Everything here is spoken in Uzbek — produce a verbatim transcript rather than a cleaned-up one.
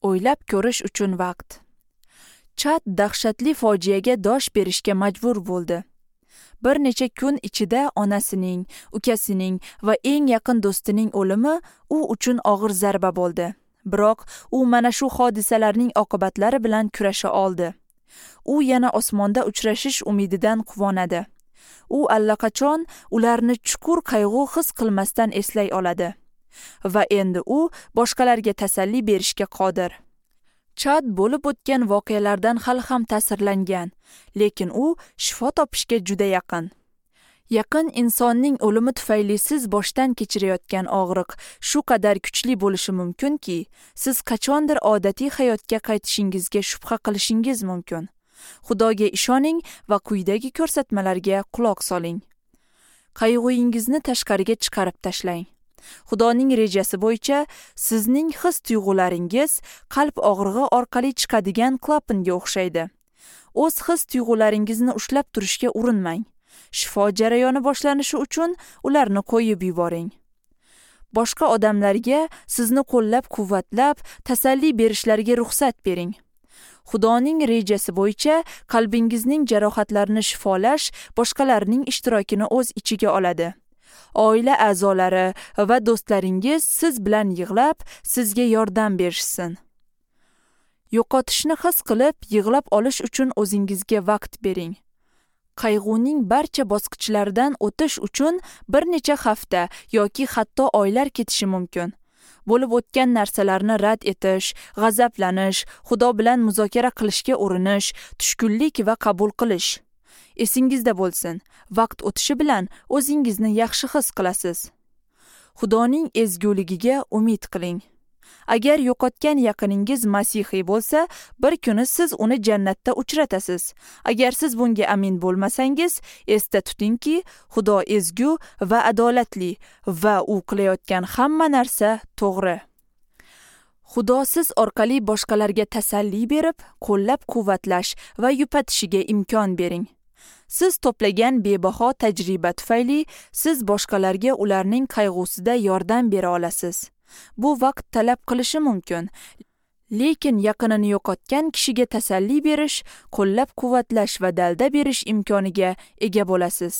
O'ylab ko'rish uchun vaqt. Chad dahshatli fojiaga dosh berishga majbur bo'ldi. Bir necha kun ichida onasining, ukasining va eng yaqin do'stining o'limi u uchun og'ir zarba bo'ldi. Biroq u mana shu hodisalarning oqibatlari bilan kurasha oldi. U yana osmonda uchrashish umididan quvonadi. U allaqachon ularni chuqur qayg'u his qilmasdan eslay oladi. Va endi u boshqalarga tasalli berishga qodir. Chad bo'lib o'tgan voqealardan hali ham ta'sirlangan, lekin u shifo topishga juda yaqin. Yaqin insonning o'limi tufayli siz boshdan kechirayotgan og'riq shu qadar kuchli bo'lishi mumkinki, siz qachondir odatiy hayotga qaytishingizga shubha qilishingiz mumkin. Xudoga ishoning va quyidagi ko'rsatmalarga quloq soling. Qayg'ungizni tashqariga chiqarib tashlang. Xudoning rejasi bo'yicha sizning his-tuyg'ularingiz qalb og'rig'i orqali chiqadigan klapanga o'xshaydi. O'z his-tuyg'ularingizni ushlab turishga urinmang. Shifo jarayoni boshlanishi uchun ularni qo'yib yuboring. Boshqa odamlarga sizni qo'llab-quvvatlab, tasalli berishlariga ruxsat bering. Xudoning rejasi bo'yicha qalbingizning jarohatlarini shifolash boshqalarning ishtirokini o'z ichiga oladi. Oila a'zolari va do'stlaringiz siz bilan yig'lab, sizga yordam berishsin. Yo'qotishni his qilib, yig'lab olish uchun o'zingizga vaqt bering. Qayg'uning barcha bosqichlaridan o'tish uchun bir necha hafta yoki hatto oylar ketishi mumkin. Bo'lib o'tgan narsalarni rad etish, g'azablanish, Xudo bilan muzokara qilishga urinish, tushkunlik va qabul qilish. Esingizda bo'lsin, vaqt o'tishi bilan o'zingizni yaxshi his qilasiz. Xudoning ezguligiga umid qiling. Agar yo'qotgan yaqiningiz masihiy bo'lsa, bir kuni siz uni jannatda uchratasiz. Agar siz bunga amin bo'lmasangiz, esda tutingki, Xudo ezgu va adolatli va u qilayotgan hamma narsa to'g'ri. Xudo siz orqali boshqalarga tasalli berib, qo'llab-quvvatlash va yupatishiga imkon bering. Siz to'plagan bebaho tajriba tufayli siz boshqalarga ularning qayg'usida yordam bera olasiz. Bu vaqt talab qilishi mumkin, lekin yaqinini yo'qotgan kishiga tasalli berish, qo'llab-quvvatlash va dalda berish imkoniga ega bo'lasiz.